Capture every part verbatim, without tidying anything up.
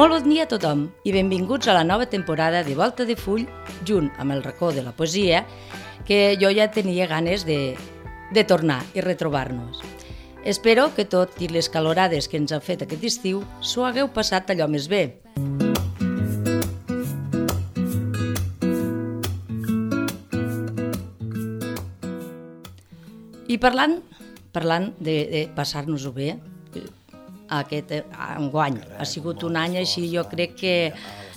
Molt bon dia a tothom i benvinguts a la nova temporada de Volta de Full, junt amb el racó de la poesia, que jo ja tenia ganes de, de tornar i retrobar-nos. Espero que tot i les calorades que ens ha fet aquest estiu s'ho hagueu passat allò més bé. I parlant, parlant de, de passar-nos-ho bé, aquest enguany ha sigut un any així, jo crec que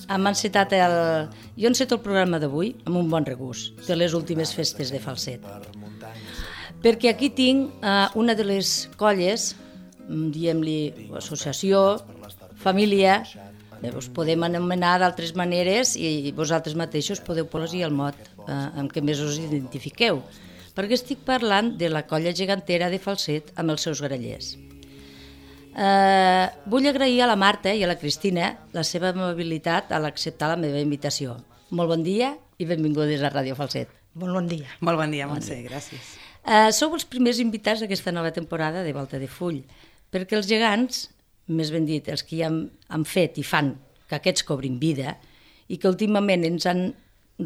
hem encetat el... Jo enceto el programa d'avui amb un bon regust de les últimes festes de Falset. Perquè aquí tinc uh, una de les colles, diguem-li associació, família, us podem anomenar d'altres maneres i vosaltres mateixos podeu posar el mot uh, amb què més us identifiqueu, perquè estic parlant de la colla gegantera de Falset amb els seus grallers. Uh, vull agrair a la Marta i a la Cristina la seva amabilitat a l'acceptar la meva invitació. Molt bon dia i benvingudes a Ràdio Falset. Molt bon dia. Molt bon dia, Montse, gràcies. Uh, sou els primers invitats d'aquesta nova temporada de Volta de Full, perquè els gegants, més ben dit, els que ja han, han fet i fan que aquests cobrin vida i que últimament ens han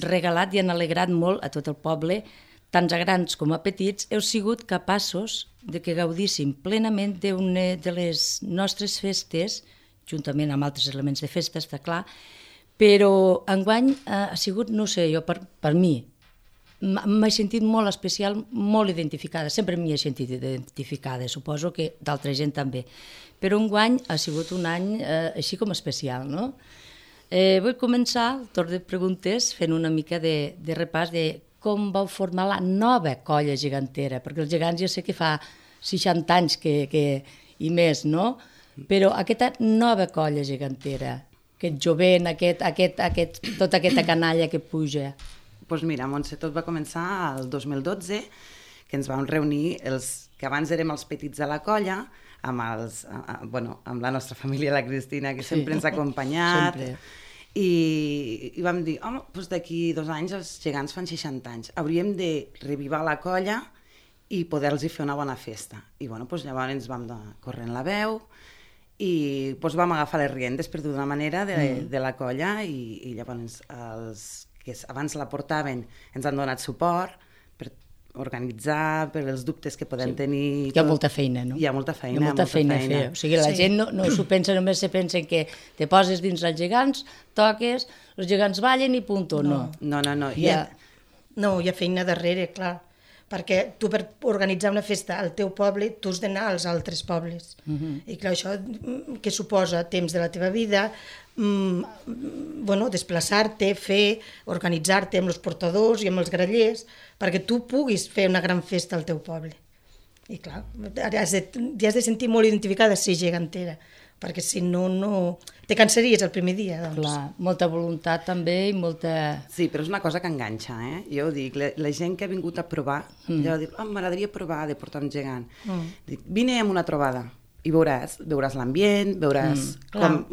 regalat i han alegrat molt a tot el poble, tant a grans com a petits, heu sigut capaços de que gaudíssim plenament d'una de les nostres festes, juntament amb altres elements de festa, està clar, però enguany ha sigut, no sé, jo per, per mi, m'he sentit molt especial, molt identificada, sempre m'hi he sentit identificada, suposo que d'altra gent també, però enguany ha sigut un any eh, així com especial, no? Eh, vull començar el torn de preguntes fent una mica de, de repàs de com vau formar la nova colla gegantera, perquè els gegants jo sé que fa seixanta anys que, que, i més, no? Però aquesta nova colla gegantera, aquest jovent, aquest, aquest, aquest, tota aquesta canalla que puja. Doncs pues mira, Montse, tot va començar el dos mil dotze, que ens vam reunir, els que abans érem els petits de la colla, amb, els, a, bueno, amb la nostra família, la Cristina, que sempre sí. ens ha acompanyat. Sempre. I, i vam dir, home, doncs d'aquí dos anys els gegants fan seixanta anys, hauríem de revivar la colla i poder-los fer una bona festa. I bueno, doncs llavors ens vam corrent la veu i doncs vam agafar les riendes, per d'una manera, de, mm. de la colla i, i llavors els que abans la portaven ens han donat suport per organitzar, per els dubtes que podem sí. tenir. Hi ha tot. molta feina, no? Hi ha molta feina. Hi ha molta, molta feina, feina. a fer. O sigui, la sí. gent no, no s'ho pensa, només se pensa que te poses dins els gegants, toques, els gegants ballen i punto, no. No, no, no. Hi ha... No, hi ha feina darrere, clar, perquè tu per organitzar una festa al teu poble, tu has d'anar als altres pobles. Uh-huh. I clar, això que suposa temps de la teva vida, mm, bueno, desplaçar-te, fer, organitzar-te amb els portadors i amb els grallers, perquè tu puguis fer una gran festa al teu poble. I clar, has de, has de sentir molt identificada si gegantera, perquè si no, no... Te cansaries el primer dia, doncs. Clar, molta voluntat també i molta... Sí, però és una cosa que enganxa, eh? Jo ho dic, la, la gent que ha vingut a provar, mm. ja diu, oh, m'agradaria provar de portar un gegant. Mm. Dic, vine amb una trobada i veuràs, veuràs l'ambient, veuràs mm, com,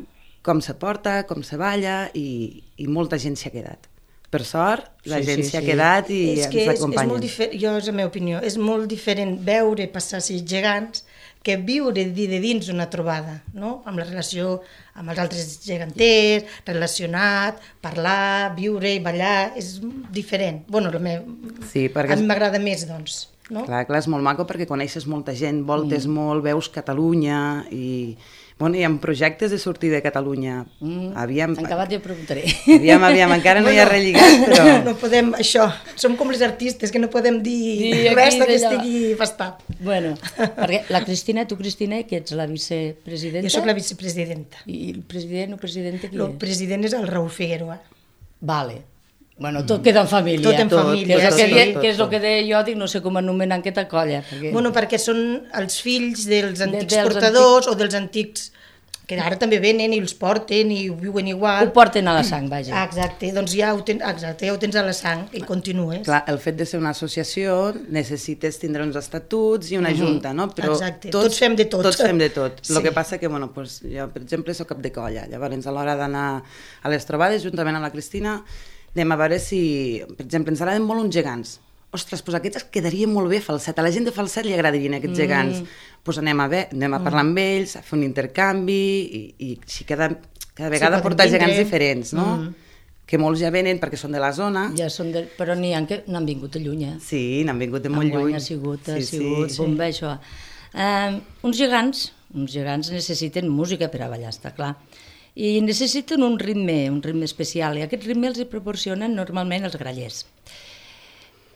com se porta, com se balla i, i molta gent s'hi ha quedat. Per sort, la sí, gent s'hi sí, ha sí. quedat i és ens acompanyen. És molt diferent, jo és la meva opinió, és molt diferent veure passar sis gegants que viure de dins una trobada, no? Amb la relació amb els altres geganters, relacionat, parlar, viure i ballar, és diferent. Bueno, la meva... sí, perquè... a mi m'agrada més, doncs. No? Clar, clar, és molt maco perquè coneixes molta gent, voltes mm. molt, veus Catalunya i... Bueno, hi ha projectes de sortir de Catalunya. Mm, aviam, acabat jo preguntaré. Aviam, aviam, encara no bueno, hi ha relligat, però... No podem, això, som com les artistes, que no podem dir sí, res que estigui bastat. Bueno, perquè la Cristina, tu Cristina, que ets la vicepresidenta? Jo soc la vicepresidenta. I el president o presidenta qui és? El president és el Raúl Figueroa. Vale. Bueno, tot queda en família. Tot en tot, família, que, sí. que, que, que és el que deia jo, dic, no sé com anomenar aquesta colla. Perquè... Bueno, perquè són els fills dels antics de, dels portadors antics... o dels antics... que ara també venen i els porten i ho viuen igual. Ho porten a la sang, vaja. Ah, exacte, doncs ja ho, ten, exacte, ja ho tens a la sang i continues. Clar, el fet de ser una associació necessites tindre uns estatuts i una uh-huh. junta, no? Però exacte, tots, tots fem de tot. Tots fem de tot. Sí. El que passa que, bueno, pues, jo, per exemple, soc cap de colla. Llavors, a l'hora d'anar a les trobades, juntament amb la Cristina, anem a veure si, per exemple, ens agraden molt uns gegants. Ostres, doncs aquests quedarien molt bé a Falset. A la gent de Falset li agradarien aquests gegants. Doncs mm. pues anem, a ver, anem a parlar amb ells, a fer un intercanvi i, i si queda cada vegada Sí, porta poden gegants vindre. diferents, no? Mm. Que molts ja venen perquè són de la zona. Ja són de... Però n'hi ha que n'han vingut de lluny, eh? Sí, n'han vingut de molt Enguany lluny. ha sigut, ha sí, sigut sí. bomba, això. Uh, uns gegants, uns gegants necessiten música per a ballar, està clar. I necessiten un ritme, un ritme especial, i aquest ritme els hi proporcionen normalment els grallers.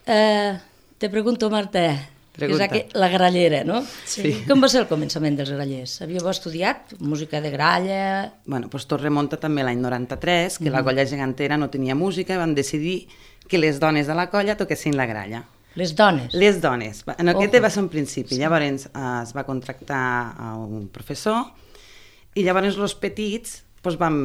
Uh, te pregunto, Marta, Pregunta. que és aqu... la grallera, no? Sí. Com va ser el començament dels grallers? Havíeu estudiat música de gralla? Bueno, doncs tot remunta també a l'any noranta-tres, que mm. la colla gegantera no tenia música i van decidir que les dones de la colla toquessin la gralla. Les dones? Les dones. En aquest Ojo. va ser un principi. Sí. Llavors eh, es va contractar a un professor i llavors els petits doncs, vam,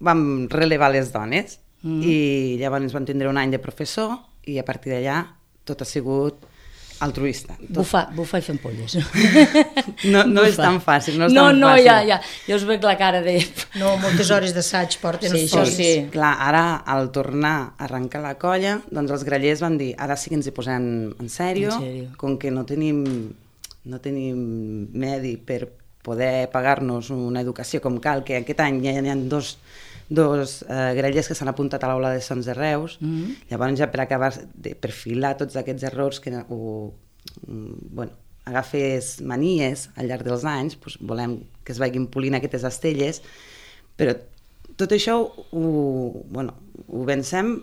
vam relevar les dones mm. i llavors van tindre un any de professor i a partir d'allà tot ha sigut altruista. Tot... Bufa, bufa i fent polles. No, no és tan fàcil, no és no, tan no, fàcil. ja, ja, ja us veig la cara de... No, moltes hores d'assaig porten Sí, els això polls. sí. Clar, ara, al tornar a arrencar la colla, doncs els grallers van dir, ara sí que ens hi posem en sèrio, En sèrio. com que no tenim, no tenim medi per poder pagar-nos una educació com cal, que aquest any ja hi ha dos, dos eh, grallers que s'han apuntat a l'aula de Sons de Reus, Mm. llavors ja per acabar de perfilar tots aquests errors que ho, bueno, agafes manies al llarg dels anys, doncs volem que es vagin polint aquestes estelles, però tot això ho, bueno, ho vencem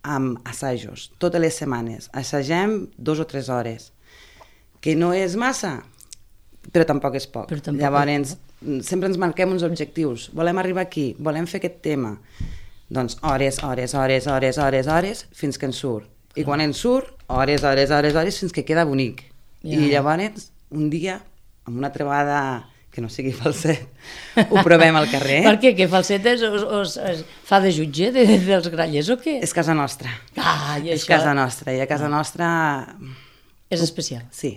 amb assajos, totes les setmanes. Assagem dos o tres hores, que no és massa, però tampoc és poc. Però tampoc Llavors, sempre ens marquem uns objectius. Volem arribar aquí, volem fer aquest tema. Doncs hores, hores, hores, hores, hores, hores, fins que ens surt. I quan ens surt, hores, hores, hores, hores, fins que queda bonic. Ja. I llavors, un dia, amb una trobada que no sigui falset, ho provem al carrer. Per què? Que falsetes us, us, us fa de jutge de, dels grallers o què? És casa nostra. Ah, i És això casa nostra. I a casa nostra... és especial. Sí,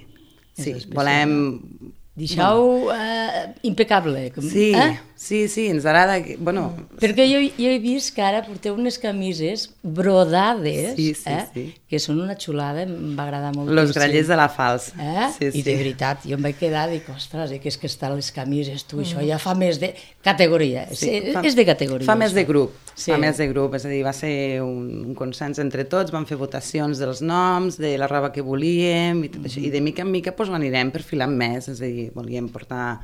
És sí. especial. Volem... Deixeu eh, impecable. Com, Sí, eh? sí, sí, ens agrada... Que, bueno, Perquè jo, jo he vist que ara porteu unes camises brodades, Sí, sí, eh? sí. que són una xulada, em va agradar molt. los grallers de la Fals. Eh? Sí, I sí. de veritat, jo em vaig quedar i dic, ostres, eh, que és que estan les camises, tu, això ja fa més de categoria, Sí, és, fa- és de categoria. Fa més això. de grup, Sí. fa més de grup, és a dir, va ser un, un consens entre tots, vam fer votacions dels noms, de la roba que volíem, i tot això, i de mica en mica doncs, l'anirem perfilant més, és a dir, volíem portar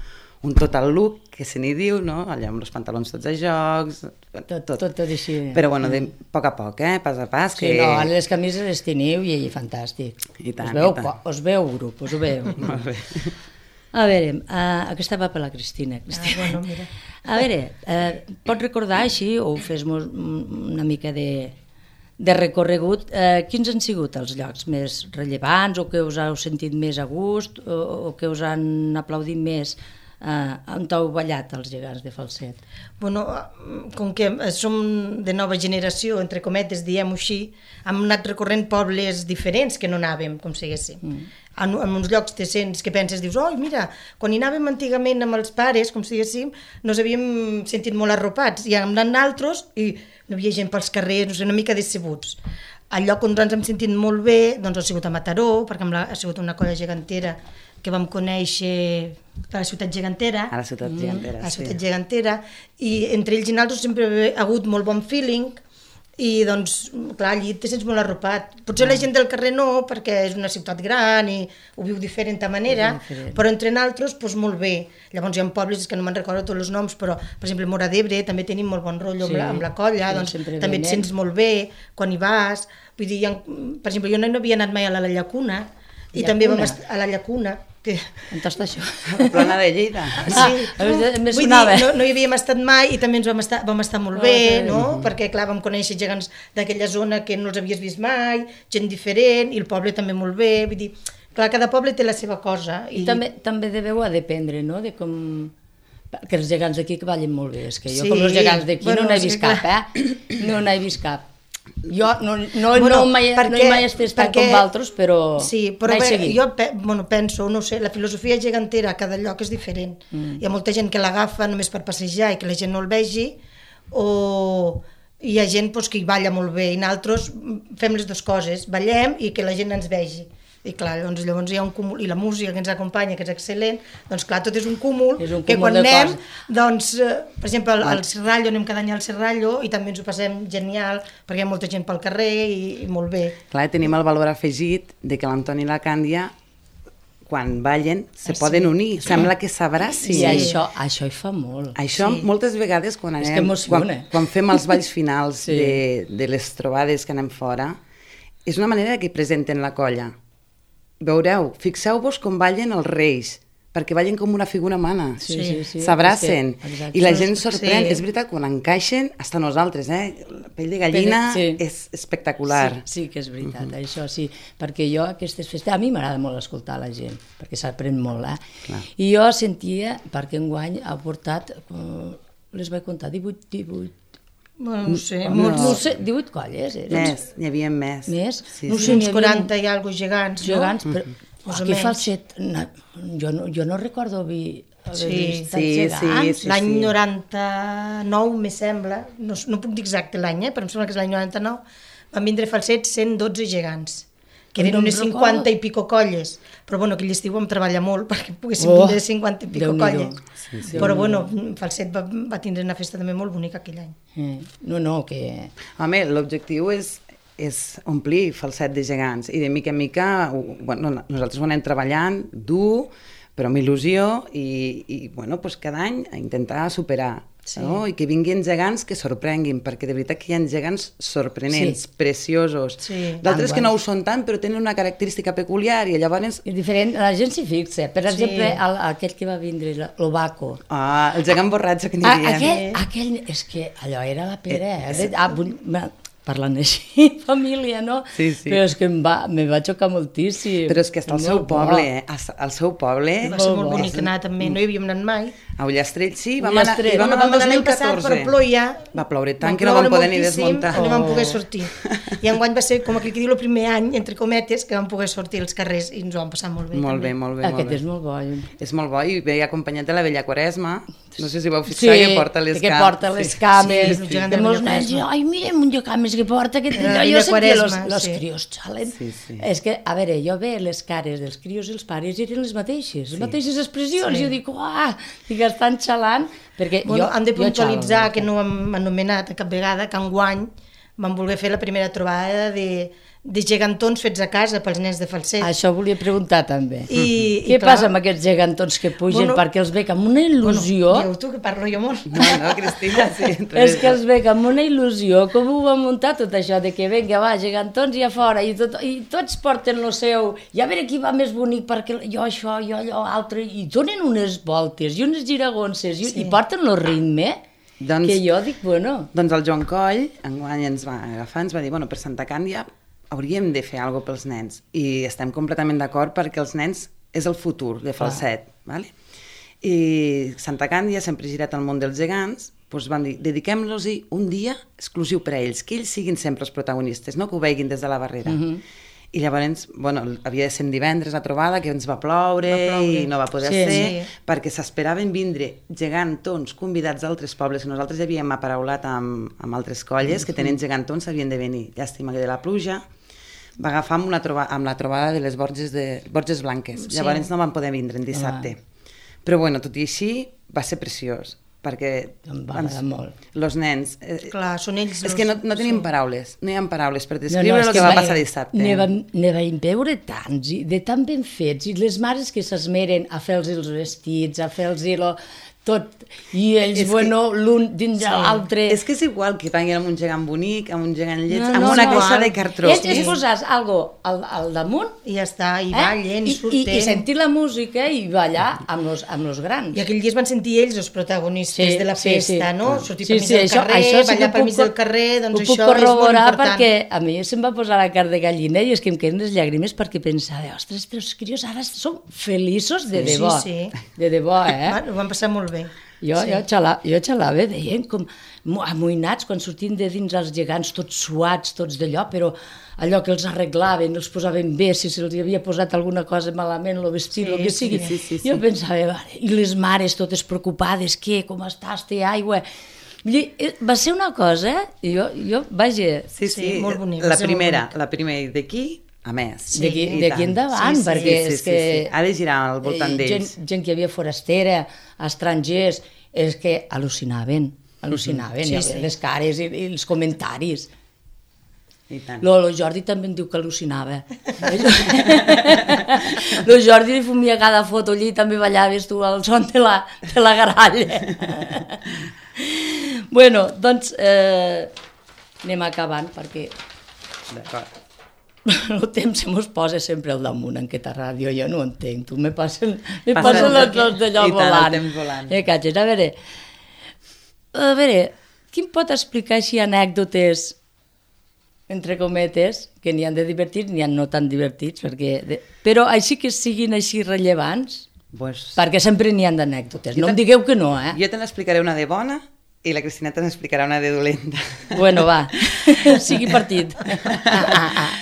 un total look, que se n'hi diu, no? Allà amb els pantalons tots a jocs, Tot, tot, tot, tot així. Però bueno, de poc a poc, eh? Pas a pas. Sí, que... no, ara les camises les teniu i, i fantàstic. I tant, us veu, i tant. po- us veu grup, us ho veu. Molt bé. A veure, uh, aquesta va per la Cristina. Cristina. Ah, bueno, mira. A veure, uh, pots recordar així, o fes-nos una mica de, de recorregut, uh, quins han sigut els llocs més rellevants, o que us heu sentit més a gust, o, o que us han aplaudit més, uh, on heu ballat els gegants de falset? Bueno, com que som de nova generació, entre cometes, diem-ho així, hem anat recorrent pobles diferents que no anàvem, com si diguéssim. Mm. En, en uns llocs te sents que penses, dius, oi, mira, quan hi anàvem antigament amb els pares, com si diguéssim, nos havíem sentit molt arropats, i hem anat altres i no hi havia gent pels carrers, no sé, una mica decebuts. El lloc on ens hem sentit molt bé doncs, ha sigut a Mataró, perquè la, ha sigut una colla gegantera que vam conèixer a la ciutat gegantera. A la ciutat gegantera, a la ciutat sí. gegantera, i entre ells i nosaltres sempre ha hagut molt bon feeling, i doncs, clar, allí te sents molt arropat. Potser la gent del carrer no, perquè és una ciutat gran i ho viu diferent a manera, diferent. però entre nosaltres, doncs molt bé. Llavors hi ha pobles, que no me'n recordo tots els noms, però, per exemple, Móra d'Ebre també tenim molt bon rotllo Sí. amb, la, amb la colla, Sí, doncs sempre també et venen. sents molt bé quan hi vas. Vull dir, hi ha, per exemple, jo no havia anat mai a la Llacuna, i Llacuna? també vam estar a la Llacuna, que... On està això? La plana de Lleida. Sí, Ah, me vull sonava. dir, no, no hi havíem estat mai i també ens vam estar, vam estar molt Ah, bé, que bé. no? Perquè, clar, vam conèixer gegants d'aquella zona que no els havies vist mai, gent diferent, i el poble també molt bé, vull dir, clar, cada poble té la seva cosa. I també, també deveu a dependre, no?, de com... Que els gegants d'aquí que ballen molt bé, és que jo Sí. com els gegants d'aquí Bueno, no n'he és vist que cap, eh? No n'he vist cap. Jo no, no, Bueno, no, mai, perquè- no hi mai estic estant perquè- com d'altres, però Sí, però vaig bé, seguir. jo pe, bueno, penso, no ho sé, la filosofia gegantera a cada lloc és diferent. Mm. Hi ha molta gent que l'agafa només per passejar i que la gent no el vegi, o hi ha gent doncs, que hi balla molt bé, i nosaltres fem les dues coses, ballem i que la gent ens vegi. I clar, doncs llavors hi ha un cúmul, i la música que ens acompanya, que és excel·lent, doncs clar, tot és un cúmul, és un que cúmul quan anem, coses. doncs, eh, per exemple, al, al Serrallo, anem cada any al Serrallo, i també ens ho passem genial, perquè hi ha molta gent pel carrer, i, i molt bé. Clar, tenim el valor afegit de que l'Antoni i la Càndia, quan ballen, se Ah, sí. poden unir. Sembla que s'abracin. I això, això hi fa molt. Això, Sí. moltes vegades, quan, És anem, que emociona. quan, quan fem els balls finals Sí. de, de les trobades que anem fora, és una manera que presenten la colla. Veureu, fixeu-vos com ballen els reis, perquè ballen com una figura humana. Sí, sí, sí. S'abracen. És que- exacte. I la gent sorprèn. Sí. És veritat, quan encaixen, hasta nosaltres, eh? La pell de gallina Sí. és espectacular. Sí, sí que és veritat, uh-huh. això sí, perquè jo aquestes festes, a mi m'agrada molt escoltar la gent, perquè s'aprèn molt, eh? Clar. I jo sentia, perquè enguany ha portat, eh, les vaig comptar, divuit, divuit, Bueno, no sé, no, molts, no sé, divuit colles, eren. Més, n'hi havia més. Més? Sí, No sí. sé, uns n'hi havia quaranta i alguna gegants, gegants, no? però Més o aquí menys. falset, na, jo, no, jo no recordo vi, Sí, sí, gegants. sí. L'any noranta-nou, me sembla, no, no puc dir exacte l'any, eh, però em sembla que és l'any noranta-nou, van vindre falsets cent dotze gegants, que eren No em unes recordo. cinquanta i pico colles, però bueno, aquell estiu vam treballar molt perquè poguéssim Oh, vindre cinquanta i pico Déu-n'hi-do. colles. Sí, sí. Però bueno, Falset va, va tindre una festa també molt bonica aquell any. Eh, no, no, que... Home, l'objectiu és, és omplir Falset de gegants i de mica en mica, ho- bueno, nosaltres ho anem treballant dur, però amb il·lusió i, i bueno, pues cada any a intentar superar. Sí. No? I que vinguin gegants que sorprenguin, perquè de veritat que hi ha gegants sorprenents, Sí. preciosos. Sí. D'altres Tan que no ho guais. són tant, però tenen una característica peculiar i llavors... És diferent, la gent s'hi fixa. Per Sí. exemple, el, aquell que va vindre, l'Obaco. Ah, el gegant borratxo que n'hi Ah, havia. aquell, aquell, és que allò era la pera, eh? Ah, vull- ma- parlant així, família, no? Sí, sí. Però és que em va, me va xocar moltíssim. Però és que està al seu Molt bo. poble, eh? Al- Al seu poble... Va ser Molt molt bo. bonic anar també, no hi havíem anat mai. A Ullastrell sí, vam Ullastrell. anar, i vam Bueno, anar el vam dos anar mil l'any passat, catorze. però ploia. Va ploure tant Va que no vam ploure poder ni moltíssim, desmuntar. No vam Oh. poder sortir. I enguany va ser, com aquell que diu, el primer any, entre cometes, que vam poder sortir als carrers i ens ho vam passar molt bé. Molt també. bé, molt bé. Aquest molt bé. és molt bo. És molt bo i ve acompanyat de la vella Quaresma. No sé si vau fixar que porta les que cames. porta les cames. Sí, sí, Sí, sí. de molts nens, i, ai, mirem un cames que porta. Que... La Jo vella sentia los, Quaresma, los sí. crios xalen. Sí, sí. És que, a veure, jo ve les cares dels crios i els pares eren les mateixes, les mateixes expressions. Sí. Jo dic, uah, dic, estan xalant. Perquè Bueno, jo, hem de jo puntualitzar, xalo. que no ho hem anomenat a cap vegada, que enguany vam voler fer la primera trobada de, de gegantons fets a casa pels nens de Falset. Això volia preguntar també. I- Què i clar- passa amb aquests gegantons que pugen Bueno, perquè els veig amb una il·lusió? Bueno, diu tu, que parlo jo molt. No, no, Cristina, sí. És que els veig amb una il·lusió, com ho va muntar tot això, de que vinga, va, gegantons i a fora, i, tot, i tots porten lo seu, i a veure qui va més bonic, perquè jo això, jo allò, altre, i donen unes voltes i unes giragonses, i, Sí. i porten lo ritme, Doncs- que jo dic, bueno... Doncs el Joan Coll, enguany ens va agafar, ens va dir, bueno, per Santa Càndia hauríem de fer alguna cosa pels nens. I estem completament d'acord perquè els nens és el futur de Falset. Vale? I Santa Càndia, sempre girat al món dels gegants, doncs van dir, dediquem-los un dia exclusiu per a ells, que ells siguin sempre els protagonistes, no que ho veguin des de la barrera. Uh -huh. I llavors, bueno, havia de ser divendres la trobada, que ens va ploure, Va ploure. i no va poder Sí, ser, sí. perquè s'esperaven vindre gegantons convidats d'altres pobles, que nosaltres ja havíem aparaulat amb, amb altres colles, que tenen gegantons, havien de venir. Llàstima que de la pluja va agafar amb, una troba, amb la trobada de les Borges, de, Borges Blanques. Sí. Llavors no van poder vindre en dissabte. Però bueno, tot i així, va ser preciós, perquè Em va agradar molt. els nens... Eh, Clar, són ells... és los- que no, no tenim sí. paraules, no hi ha paraules per descriure és el que, que va va- passar dissabte. Ne vam, ne vam veure tants, i de tan ben fets, i les mares que s'esmeren a fer-los els vestits, a fer-los lo, tot, i ells, És que- bueno, l'un dins de l'altre... És que és igual que vagin amb un gegant bonic, amb un gegant lleig, No, amb no, una no, caixa no. de cartró. És, és posar algo al, al damunt, I ja està, i eh? ballen, i, I, surten. i, i sentir la música i ballar amb los, amb los grans. I aquell dia es van sentir ells els protagonistes Sí, de la sí, festa, sí. no? Ah. Sortir Sí, pel mig sí, del això- carrer, això sí que ballar pel ho mig puc- del carrer, doncs ho això puc és molt corroborar important. perquè a mi se'm va posar la carn de gallina i és que em queden les llàgrimes perquè pensava, ostres, però els crios ara són feliços de Sí, debò. sí. De debò, eh? Va, ho van passar molt bé. Jo, Sí. jo, xalava, jo xalava, veient com mo- amoïnats quan sortien de dins els gegants, tots suats, tots d'allò, però allò que els arreglaven, els posaven bé, si se'ls havia posat alguna cosa malament, el vestit, Sí, el que sí, sigui. sí, sí, sí. Jo pensava, vale, i les mares totes preocupades, què, com estàs, té aigua... Vull dir, eh, va ser una cosa, jo, jo vaja... Sí, sí, Sí, molt bonic, la va ser molt primera, bonic. la primera i d'aquí a més. Sí, d'aquí endavant, sí, sí, perquè sí, sí, és que... Sí, sí. Ha de girar al voltant d'ells. Gent, gent que hi havia forastera, estrangers, és que al·lucinaven, al·lucinaven, sí, sí, sí. les cares i, i els comentaris. I tant. Lo, lo Jordi també em diu que al·lucinava. Lo Jordi li fumia cada foto allí i també ballaves tu al son de la, de la garalla. Bueno, doncs eh, anem acabant perquè D'acord. el temps se mos posa sempre al damunt en aquesta ràdio, jo no ho entenc, tu me passen, me Passa passen el els dos d'allò i tant, el volant. temps volant. Eh, catxes, a veure, a veure, qui em pot explicar així anècdotes, entre cometes, que n'hi han de divertits, n'hi han no tan divertits, perquè de... però així que siguin així rellevants, Pues... perquè sempre n'hi han d'anècdotes, Jo no te- em digueu que no, eh? Jo te n'explicaré una de bona i la Cristina te n'explicarà una de dolenta. Bueno, va, sigui partit.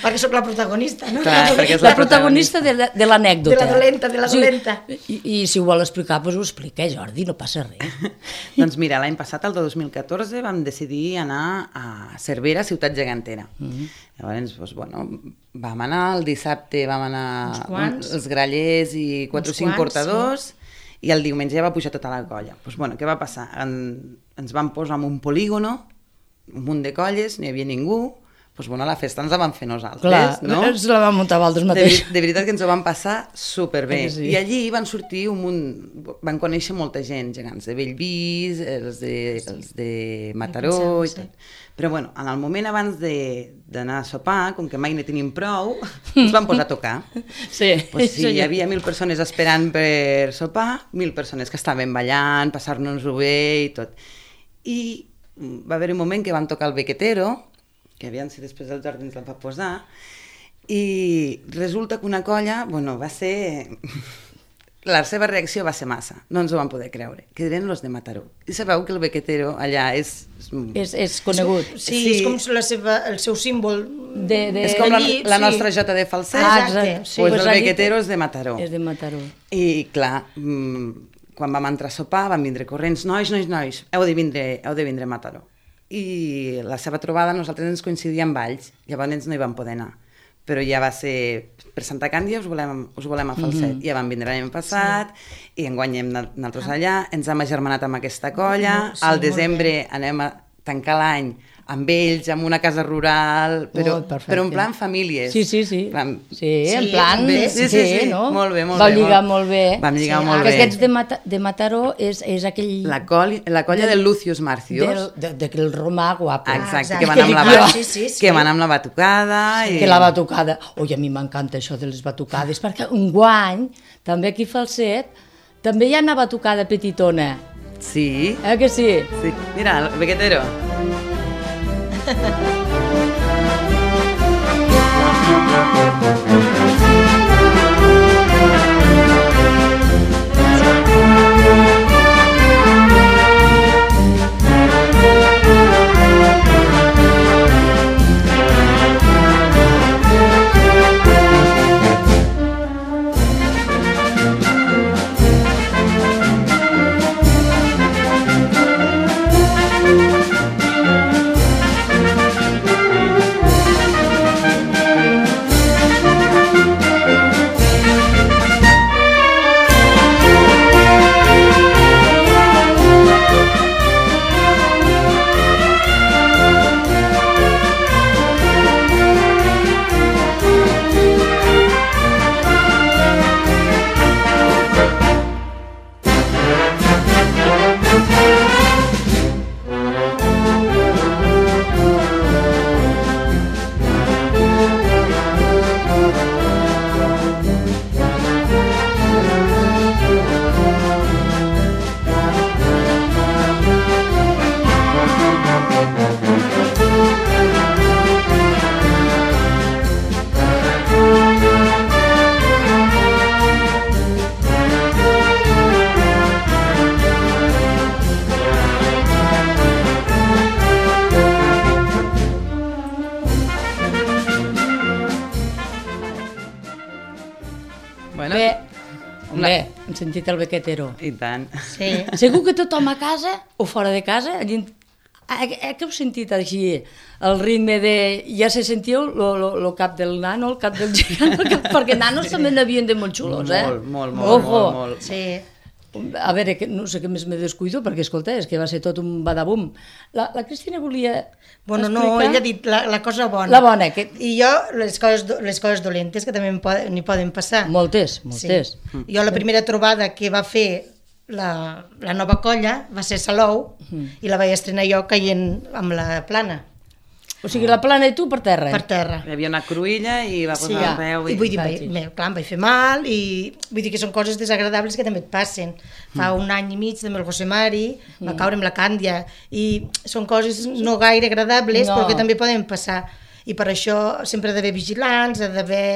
Perquè sóc la protagonista, no? Clar, perquè és La protagonista de, la- de l'anècdota. De la dolenta, de la dolenta. I, i si ho vol explicar, doncs ho explica, Jordi, no passa res. Doncs mira, l'any passat, el dos mil catorze, vam decidir anar a Cervera, ciutat gegantera. Mm -hmm. Llavors, doncs, bueno, vam anar, el dissabte vam anar Uns quants. els grallers i quatre Uns o cinc quants, portadors, i el diumenge ja va pujar tota la colla. Doncs, bueno, què va passar? En, ens vam posar en un polígono, un munt de colles, no hi havia ningú, doncs, bueno, la festa ens la vam fer nosaltres, Clar, no? ens la vam muntar vosaltres De, mateix. veri- de veritat que ens ho vam passar superbé. Eh que sí? I allí van sortir un munt... Van conèixer molta gent, gegants de Bellvís, els de, els de Mataró i Sí. tot. Però bueno, en el moment abans de- d'anar a sopar, com que mai ne tenim prou, ens vam posar a tocar. Sí, Pues sí, això hi ja- havia mil persones esperant per sopar, mil persones que estaven ballant, passar-nos-ho bé i tot. I va haver un moment que vam tocar el Bequetero, que aviam si després el Jordi ens la va posar, i resulta que una colla, bueno, va ser... La seva reacció va ser massa, no ens ho vam poder creure, que eren los de Mataró. I sabeu que el Bequetero allà és... És, és conegut. Sí, Sí. és com la seva, el seu símbol. De, de... És com la, allí, la sí. nostra jota de falset, Ah, exacte. exacte. sí, Sí. pues Pues el allí- Bequetero és de Mataró. És de Mataró. I clar, mmm, quan vam entrar a sopar van vindre corrents, nois, nois, nois, heu de vindre, heu de vindre a Mataró. I la seva trobada nosaltres ens coincidia amb Valls, llavors no hi vam poder anar. Però ja va ser, per Santa Càndia us volem, us volem a Falset. Mm -hmm. Ja vam vindre l'any passat, sí. I enguany hem anat nosaltres allà, ens hem agermanat amb aquesta colla, Sí, al molt desembre anem a tancar l'any amb ells, amb una casa rural, però, Oh, perfecte. però en plan famílies. Sí, sí, sí. Plan, Sí, en Sí, plan... bé. Sí, sí, sí. no? Molt bé, molt Vau bé, lligar molt- molt bé. Vam lligar Sí, molt Que bé. aquests de, Mata, de Mataró és, és aquell... La, col, la colla del Lucius Marcius. Del, de, del romà guapo. Exacte, exacte. que van amb la, Ah, bat- sí, sí, sí. que van amb la batucada. I... Que la batucada... Ui, a mi m'encanta això de les batucades, perquè un guany, també aquí a Falset, també hi ha una batucada petitona. Sí, Eh que sí? sí. Mira, el Bequetero. Bueno, Bé, bé, hem sentit el Bequetero. i tant. Sí. Segur que tothom a casa o fora de casa, allí, que heu sentit així el ritme de... Ja se sentiu el cap del nano, el cap del gegant, el cap... perquè nanos sí. també n'havien de molt xulos, eh? Molt, molt, molt, molt, molt. Sí. A veure, que no sé què més me descuido, perquè, escolta, és que va ser tot un badabum. La, la Cristina volia Bueno, explicar... no, ella ha dit la, la cosa bona. La bona, que... I jo, les coses, les coses dolentes, que també n'hi poden, poden passar. Moltes, moltes. Sí. Jo la primera trobada que va fer la, la nova colla va ser Salou, mm. i la vaig estrenar jo caient amb la plana. O sigui, la plana i tu per terra. Per terra. Hi havia una cruïlla i va posar sí, el peu. I, i vull dir, vaig, me, clar, em vaig fer mal, i vull dir que són coses desagradables que també et passen. Fa mm. un any i mig també el José Mari mm. va caure amb la Càndia, i són coses no gaire agradables, no. però que també poden passar. I per això sempre ha d'haver vigilants, ha d'haver...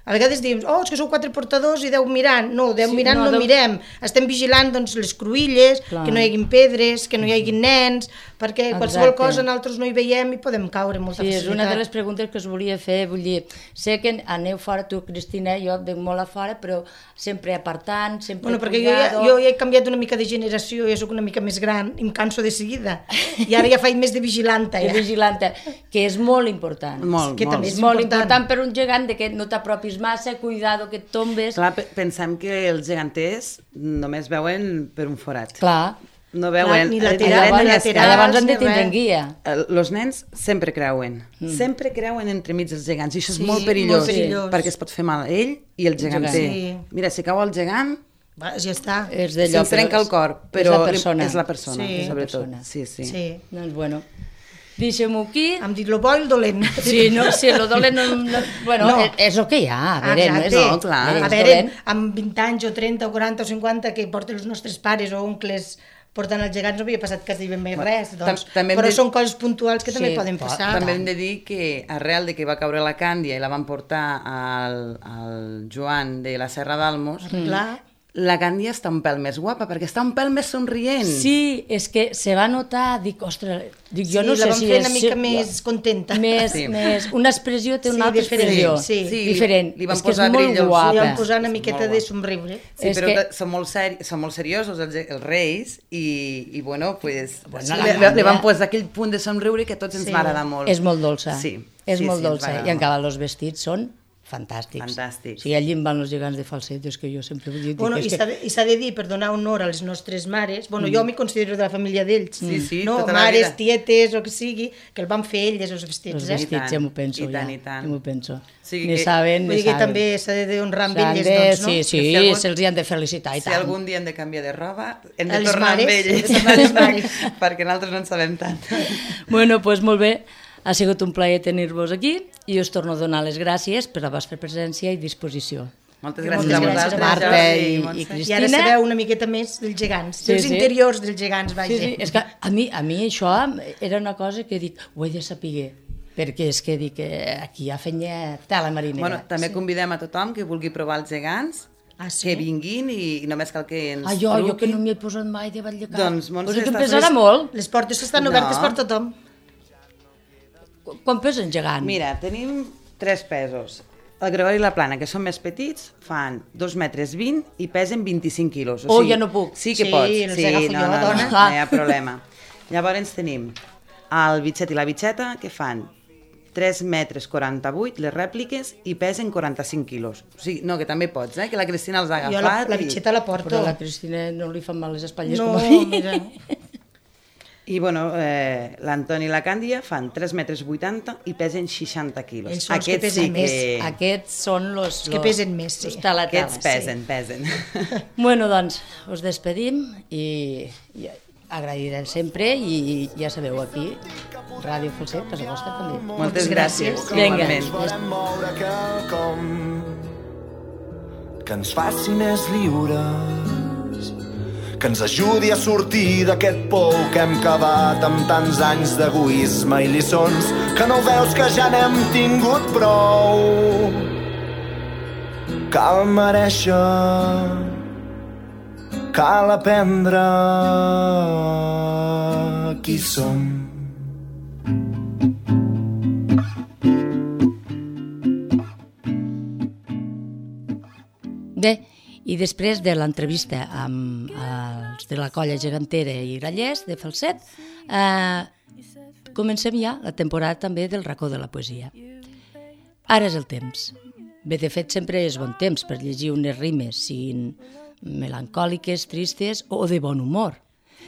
A vegades diem, oh, és que sou quatre portadors i deu mirant. No, deu sí, mirant no, no deu... mirem. Estem vigilant doncs, les cruïlles, clar. Que no hi hagin pedres, que no hi hagin nens, perquè Exacte. Qualsevol cosa nosaltres no hi veiem i podem caure amb molta sí, facilitat. Sí, és una de les preguntes que us volia fer. Vull dir, sé que aneu fora, tu, Cristina, jo venc molt a fora, però sempre apartant, sempre bueno, perquè jo ja, jo ja he canviat una mica de generació, ja soc una mica més gran, i em canso de seguida. I ara ja faig més de vigilanta. Ja. De vigilanta, que és molt important. Molt, que molt. també és molt important. important per un gegant, de que no t'apropis massa, cuidado que et tombes. Clar, pensem que els geganters només veuen per un forat. Clar. No veuen... Clar, ni lateral, llavors, ni lateral, llavors han de tindre guia. Els nens sempre creuen. Mm. Sempre creuen entremig els gegants. I això és sí, molt perillós, molt perillós. Perquè es pot fer mal a ell i el geganter. Sí. Mira, si cau el gegant... Va, ja està. Se'm trenca el cor, però és la persona. És la persona, sí. sobretot. Persona. Sí, sí. sí. Doncs bueno... Deixem-ho aquí. Hem dit lo bo i el dolent. Sí, no, sí, lo dolent no... no bueno, no. És, és el que hi ha, a veure, no és... No, clar. A veure, amb vint anys o trenta o quaranta o cinquanta que porten els nostres pares o oncles portant els gegants no havia passat quasi ben més res, doncs. Però de... són coses puntuals que sí, també poden passar. També hem de dir que arrel de que va caure la Càndia i la van portar al, al Joan de la Serra d'Almos, mm. clar, la Càndia està un pèl més guapa, perquè està un pèl més somrient. Sí, és que se va notar, dic, ostres, dic, jo sí, no sé si és... Sí, la van fer una mica més contenta. Més, sí. més, una expressió té una sí, altra expressió. Sí, sí. Diferent. Li van és que posar és molt guapa. Li van posar una miqueta de somriure. Sí, és però que... són, molt seri... són molt seriosos els, els reis i, i bueno, pues, bueno sí, li, li van posar aquell punt de somriure que a tots ens sí. va agradar molt. És molt dolça. Sí. És sí, molt sí, dolça. I encara els vestits són fantàstics. Fantàstics. Sí, allí em van els gegants de falset, és que jo sempre vull dir... Bueno, i s'ha que... de, de dir, per donar honor a les nostres mares, bueno, mm. jo m'hi considero de la família d'ells, sí, sí, no? tota mares, la vida. tietes, o que sigui, que el van fer elles, els vestits. Els vestits, eh? ja m'ho penso, I tant, ja. i tant. Ja m'ho penso. Sí, ne que... saben, vull ne dir que saben. també s'ha de honrar amb elles, doncs, no? Sí, sí, si algun... se'ls hi han de felicitar i si tant. Si algun dia hem de canviar de roba, hem de les tornar mares, amb elles. les mares. Perquè nosaltres no en sabem tant. Bueno, doncs molt bé. Ha sigut un plaer tenir-vos aquí i us torno a donar les gràcies per la vostra presència i disposició. Moltes gràcies Moltes a vosaltres, Marta i, i I Cristina. ara sabeu una miqueta més dels gegants, sí, dels sí. interiors dels gegants, vaja. Sí, sí. És que a mi, a mi això era una cosa que dic, ho he de saber, perquè és que dic que aquí hi ha fenya tela marinera. Bueno, també sí. convidem a tothom que vulgui provar els gegants, ah, sí? que vinguin i, i només cal que ens ah, jo, truquin. jo que no m'hi he posat mai de Vallecap. Doncs, Montse, pues que em estàs... pesarà molt. Les portes estan no. obertes per tothom. Quan pesen gegant? Mira, tenim tres pesos. El Gregori i la Plana, que són més petits, fan dos metres vint i pesen vint-i-cinc quilos. O oh, sigui, ja no puc. Sí que sí, pots. els Sí, agafo no, jo, no, dona. no, no hi ha problema. Llavors tenim el bitxet i la bitxeta, que fan tres metres quaranta-vuit, les rèpliques, i pesen quaranta-cinc quilos. O sigui, no, que també pots, eh? Que la Cristina els ha agafat. Jo la, la i... bitxeta la porto. Però a la Cristina no li fan mal les espatlles no, com a mi. Mira. I, bueno, eh, l'Antoni i la Càndia fan tres metres vuitanta i pesen seixanta quilos. Ells són els que Aquests pesen sí més. que... Aquests són los... Els que pesen més, sí. Los talatales, Aquests pesen, sí. pesen. Bueno, doncs, us despedim i, i agrairem sempre i ja sabeu, aquí, Ràdio Falset, casa vostra també. Moltes gràcies. Vinga. Que ens faci més lliures, que ens ajudi a sortir d'aquest pou que hem cavat amb tants anys d'egoisme i lliçons, que no veus que ja n'hem tingut prou. Cal mereixer, cal aprendre qui som. Bé, i després de l'entrevista amb els de la colla gegantera i grallers de Falset, eh, comencem ja la temporada també del racó de la poesia. Ara és el temps. Bé, de fet, sempre és bon temps per llegir unes rimes, siguin melancòliques, tristes o de bon humor,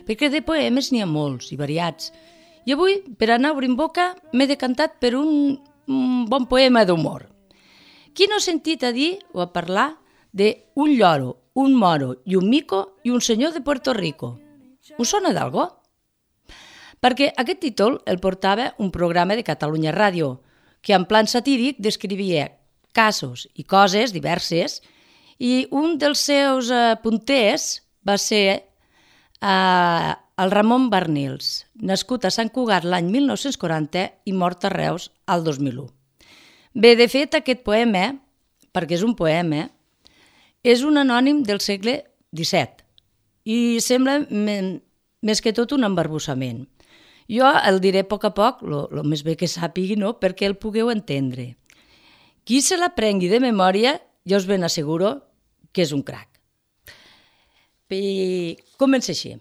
perquè de poemes n'hi ha molts i variats. I avui, per anar obrint boca, m'he decantat per un, un bon poema d'humor. Qui no ha sentit a dir o a parlar d'un lloro, un moro i un mico i un senyor de Puerto Rico? Us sona d'algo? Perquè aquest títol el portava un programa de Catalunya Ràdio, que en plan satíric descrivia casos i coses diverses, i un dels seus eh, punters va ser eh, el Ramon Barnils, nascut a Sant Cugat l'any mil nou-cents quaranta i mort a Reus al dos mil u. Bé, de fet, aquest poema, perquè és un poema, és un anònim del segle disset i sembla més que tot un embarbussament. Jo el diré a poc a poc, el més bé que sàpigui, no?, perquè el pugueu entendre. Qui se l'aprengui de memòria, ja us ben asseguro que és un crac. I comença així.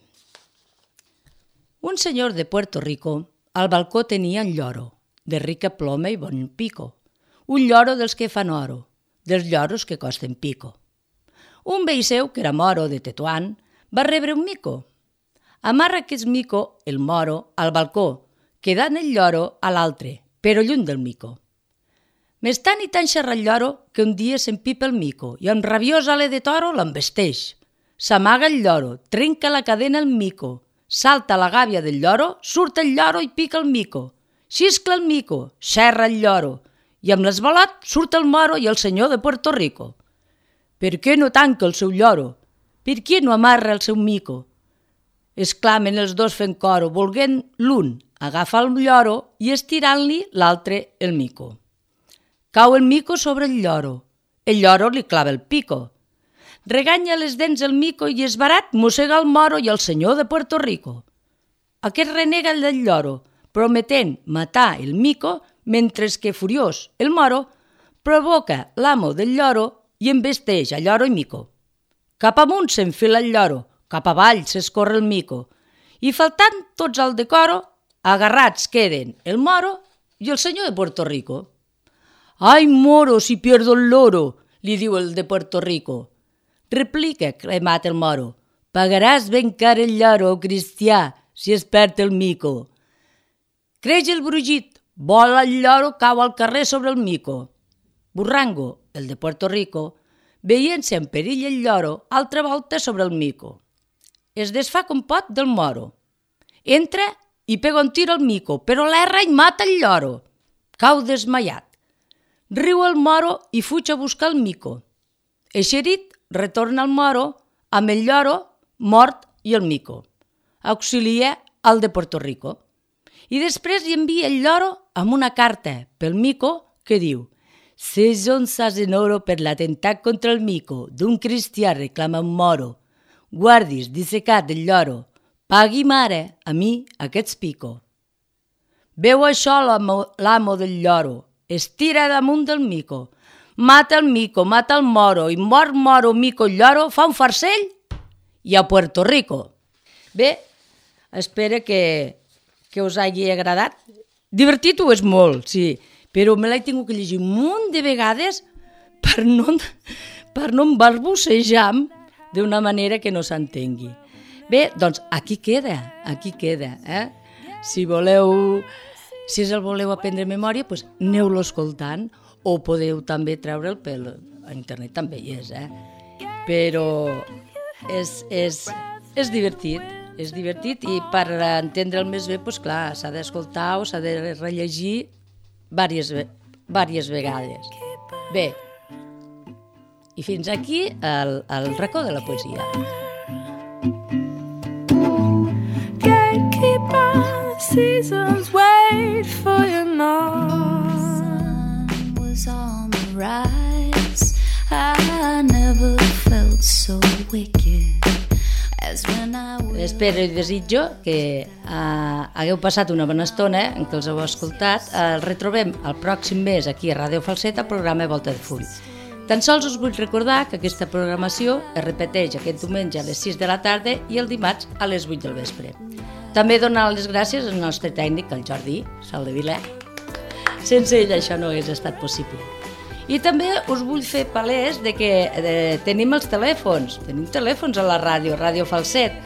Un senyor de Puerto Rico al balcó tenia un lloro, de rica ploma i bon pico. Un lloro dels que fan oro, dels lloros que costen pico. Un veí seu, que era moro de Tetuán, va rebre un mico. Amarra aquest mico, el moro, al balcó, quedant el lloro a l'altre, però lluny del mico. Més tant i tant xerra el lloro que un dia s'empipa el mico i amb rabiós ale de toro l'embesteix. S'amaga el lloro, trenca la cadena el mico, salta la gàbia del lloro, surt el lloro i pica el mico. Xiscla el mico, xerra el lloro, i amb l'esbalot surt el moro i el senyor de Puerto Rico. Per què no tanca el seu lloro? Per què no amarra el seu mico? Exclamen els dos fent coro, volguent l'un agafar el lloro i estirant-li l'altre el mico. Cau el mico sobre el lloro. El lloro li clava el pico. Reganya les dents el mico i esbarat mossega el moro i el senyor de Puerto Rico. Aquest renega el del lloro, prometent matar el mico, mentre que, furiós, el moro provoca l'amo del lloro i embesteix a lloro i mico. Cap amunt s'enfila el lloro, cap avall s'escorre el mico, i faltant tots al decoro, agarrats queden el moro i el senyor de Puerto Rico. «Ai, moro, si pierdo el loro», li diu el de Puerto Rico. Replica, cremat el moro, «pagaràs ben car el lloro, cristià, si es perd el mico». Creix el brugit, vola el lloro, cau al carrer sobre el mico. Burrango, el de Puerto Rico, veient-se en perill el lloro, altra volta sobre el mico. Es desfà com pot del moro. Entra i pega un tir al mico, però l'erra i mata el lloro. Cau desmaiat. Riu el moro i fuig a buscar el mico. Eixerit, retorna al moro amb el lloro mort i el mico. Auxilia al de Puerto Rico. I després li envia el lloro amb una carta pel mico que diu: «Ses onzas en oro per l'atemptat contra el mico d'un cristià reclama un moro. Guardis dissecat el lloro, pagui mare a mi aquests pico». Veu això l'amo del lloro, es tira damunt del mico, mata el mico, mata el moro, i mort moro, mico, lloro, fa un farcell i a Puerto Rico. Bé, espero que, que us hagi agradat. Divertit ho és molt, sí, però me l'he tingut que llegir un munt de vegades per no, per no embarbussejar d'una manera que no s'entengui. Bé, doncs aquí queda, aquí queda. Eh? Si voleu, si el voleu aprendre a memòria, doncs aneu-lo escoltant, o podeu també treure'l pel a internet, també hi és, eh? Però és, és, és divertit, és divertit i per entendre'l més bé, doncs clar, s'ha d'escoltar o s'ha de rellegir diverses, diverses vegades. Bé, i fins aquí el, el racó de la poesia. Gatekeeper, seasons wait for you now. The sun was on the rise. I never felt so wicked. Espero i desitjo que uh, hagueu passat una bona estona en què els heu escoltat. El retrobem el pròxim mes aquí a Ràdio Falset, al programa Volta de Full. Tan sols us vull recordar que aquesta programació es repeteix aquest diumenge a les sis de la tarda i el dimarts a les vuit del vespre. També donar les gràcies al nostre tècnic, el Jordi Saldevilà. Sense ell això no hagués estat possible. I també us vull fer palès de que de, tenim els telèfons, tenim telèfons a la ràdio, Ràdio Falset,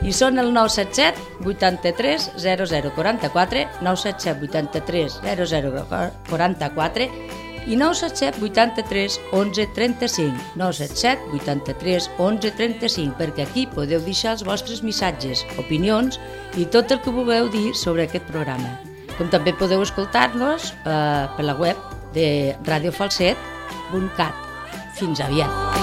i són el nou set set vuitanta-tres zero zero quaranta-quatre, nou set set vuitanta-tres zero zero quaranta-quatre i nou set set vuitanta-tres onze trenta-cinc, nou set set vuitanta-tres onze trenta-cinc, perquè aquí podeu deixar els vostres missatges, opinions i tot el que vulgueu dir sobre aquest programa. Com també podeu escoltar-nos eh, per la web de radiofalset punt cat. Fins aviat.